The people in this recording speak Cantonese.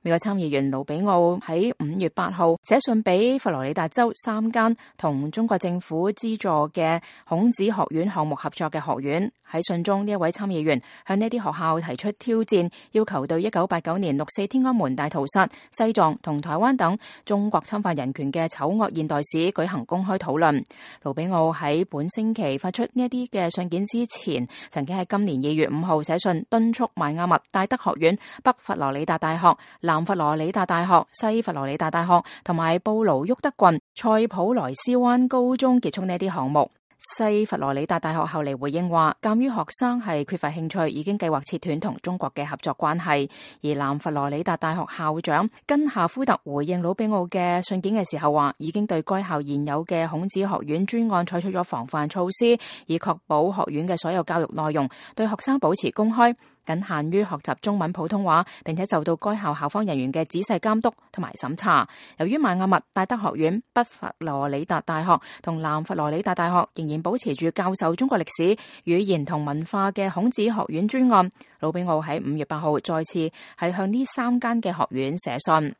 美國參議員盧比奧喺5月8號寫信俾佛羅里達州3間同中國政府資助嘅孔子學院項目合作嘅學院。喺信中，呢一位參議員向呢啲學校提出挑戰，要求對1989年6·4天安門大屠殺、西藏同台灣等中國侵犯人權嘅醜惡現代史舉行公開討論。盧比奧喺本星期發出呢一啲嘅信件之前，曾經喺今年2月5號寫信敦促邁阿密戴德學院、北佛羅里達大學、南佛羅里達大學、西佛羅里達大學同埋布盧沃德郡塞普萊斯灣高中結束呢啲項目。西佛羅里達大學後嚟回應話，鑒於學生係缺乏興趣，已經計劃切斷同中國嘅合作關係。而南佛羅里達大學校長根夏夫特回應魯比奧嘅信件嘅時候話，已經對該校現有嘅孔子學院專案採取咗防範措施，以確保學院嘅所有教育內容對學生保持公開，僅限於學習中文普通話，並且受到該校校方人員嘅仔細監督同埋審查。由於邁阿密戴德學院、北佛羅里達大學同南佛羅里達大學仍然保持住教授中國歷史、語言同文化嘅孔子學院專案，魯比奧喺5月8號再次係向呢3間嘅學院寫信。